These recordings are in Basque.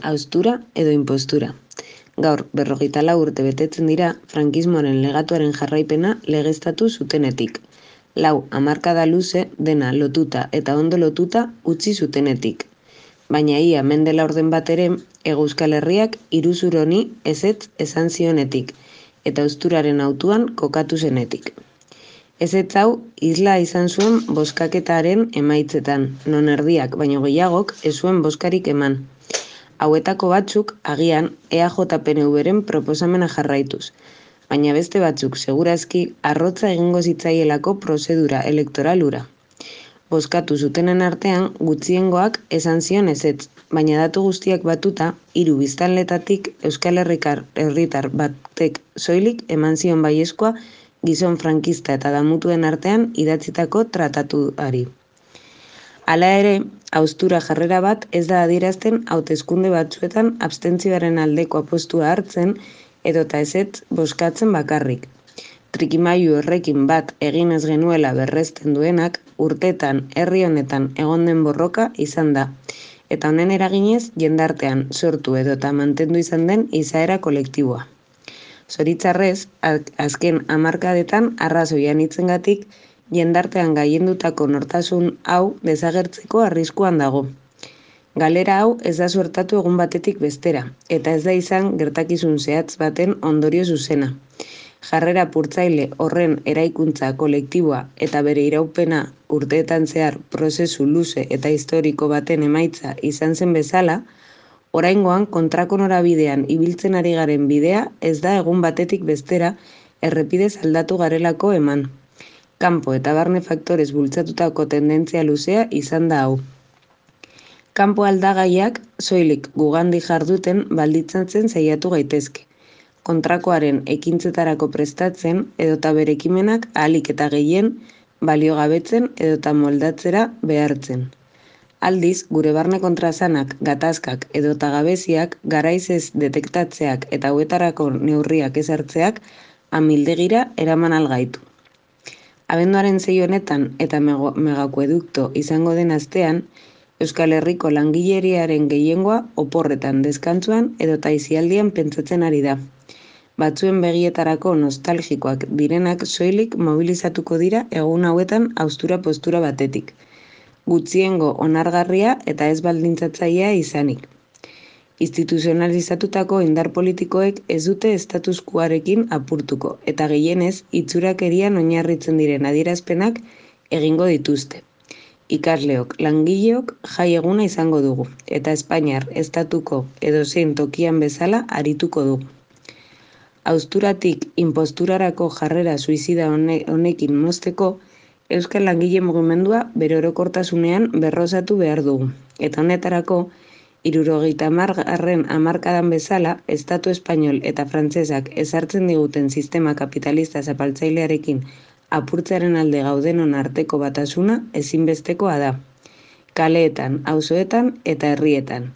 haustura edo impostura. Gaur, 54 urte betetzen dira frankismoaren legatuaren jarraipena legeztatu zutenetik. 4 hamarkada luze dena lotuta eta ondo lotuta utzi zutenetik. Baina ia mende laurden bat ere, Hego Euskal Herriak iruzur honi ezetz esan zionetik, eta hausturaren hautuan kokatu zenetik. Ezetz hau isla izan zuen bozkaketaren emaitzetan, non erdiak baino gehiagok ez zuen bozkarik eman. Hauetako batzuk agian EAJ-PNV-ren proposamena jarraituz, baina beste batzuk segurazki arrotza egingo zitzaielako prozedura elektoral hura. Bozkatu zutenen artean gutxiengoak esan zion ezetz, baina datu guztiak batuta 3 biztanletatik Euskal Herritar batek soilik eman zion baiezkoa gizon frankista eta damutuen artean idatzitako tratatuari. Hala ere, haustura jarrera bat ez da adierazten hauteskunde batzuetan abstentzioaren aldeko apostua hartzen edota ezetz bozkatzen bakarrik. Trikimailu horrekin bat egin ez genuela berresten duenak urtetan herri honetan egon den borroka izan da, eta honen eraginez jendartean sortu edota mantendu izan den izaera kolektiboa. Zoritzarrez, azken hamarkadetan arrazoian hitzengatik jendartean gaiendutako nortasun hau desagertzeko arriskuan dago. Galera hau ez da suertatu egun batetik bestera, eta ez da izan gertakizun zehatz baten ondorio zuzena. Jarrera purtzaile horren eraikuntza kolektiboa eta bere iraupena urteetan zehar prozesu luze eta historiko baten emaitza izan zen bezala, oraingoan kontrako norabidean ibiltzen ari garen bidea ez da egun batetik bestera errepidez aldatu garelako eman. Kanpo eta barne faktorez bultzatutako tendentzia luzea izan da hau. Kanpo aldagaiak soilik gugandik jarduten baldintzatzen saiatu gaitezke. Kontrakoaren ekintzetarako prestatzen edota bere ekimenak ahalik eta gehien baliogabetzen edota moldatzera behartzen. Aldiz, gure barne kontraesanak, gatazkak edota gabeziak garaiz ez detektatzeak eta hauetarako neurriak ezartzeak amildegira eraman algaitu. Abenduaren 6 honetan eta megakuedukto izango den astean, Euskal Herriko langileriaren gehiengoa oporretan deskantzuan edota aisialdian pentsatzen ari da. Batzuen begietarako nostalgikoak direnak soilik mobilizatuko dira egun hauetan haustura postura batetik. Gutxiengo onargarria eta ez baldintzatzailea izanik. Instituzionalizatutako indar politikoek ez dute status quoarekin apurtuko eta gehienez itxurakerian oinarritzen diren adierazpenak egingo dituzte. Ikasleok, langileok jai eguna izango dugu eta Espainiar estatuko edozein tokian bezala arituko dugu. Hausturatik inposturarako jarrera suizida honekin mozteko, Euskal Langile Mugimendua bere orokortasunean berrosatu behar dugu. Eta honetarako, 70. hamarkadan bezala, Estatu Espainol eta Frantsesak ezartzen diguten sistema kapitalista zapaltzailearekin apurtzearen alde gaudenon arteko batasuna ezinbestekoa da. Kaleetan, auzoetan eta herrietan.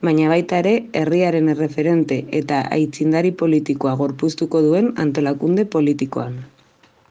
Baina baita ere, herriaren erreferente eta aitzindari politikoa gorpuztuko duen antolakunde politikoan.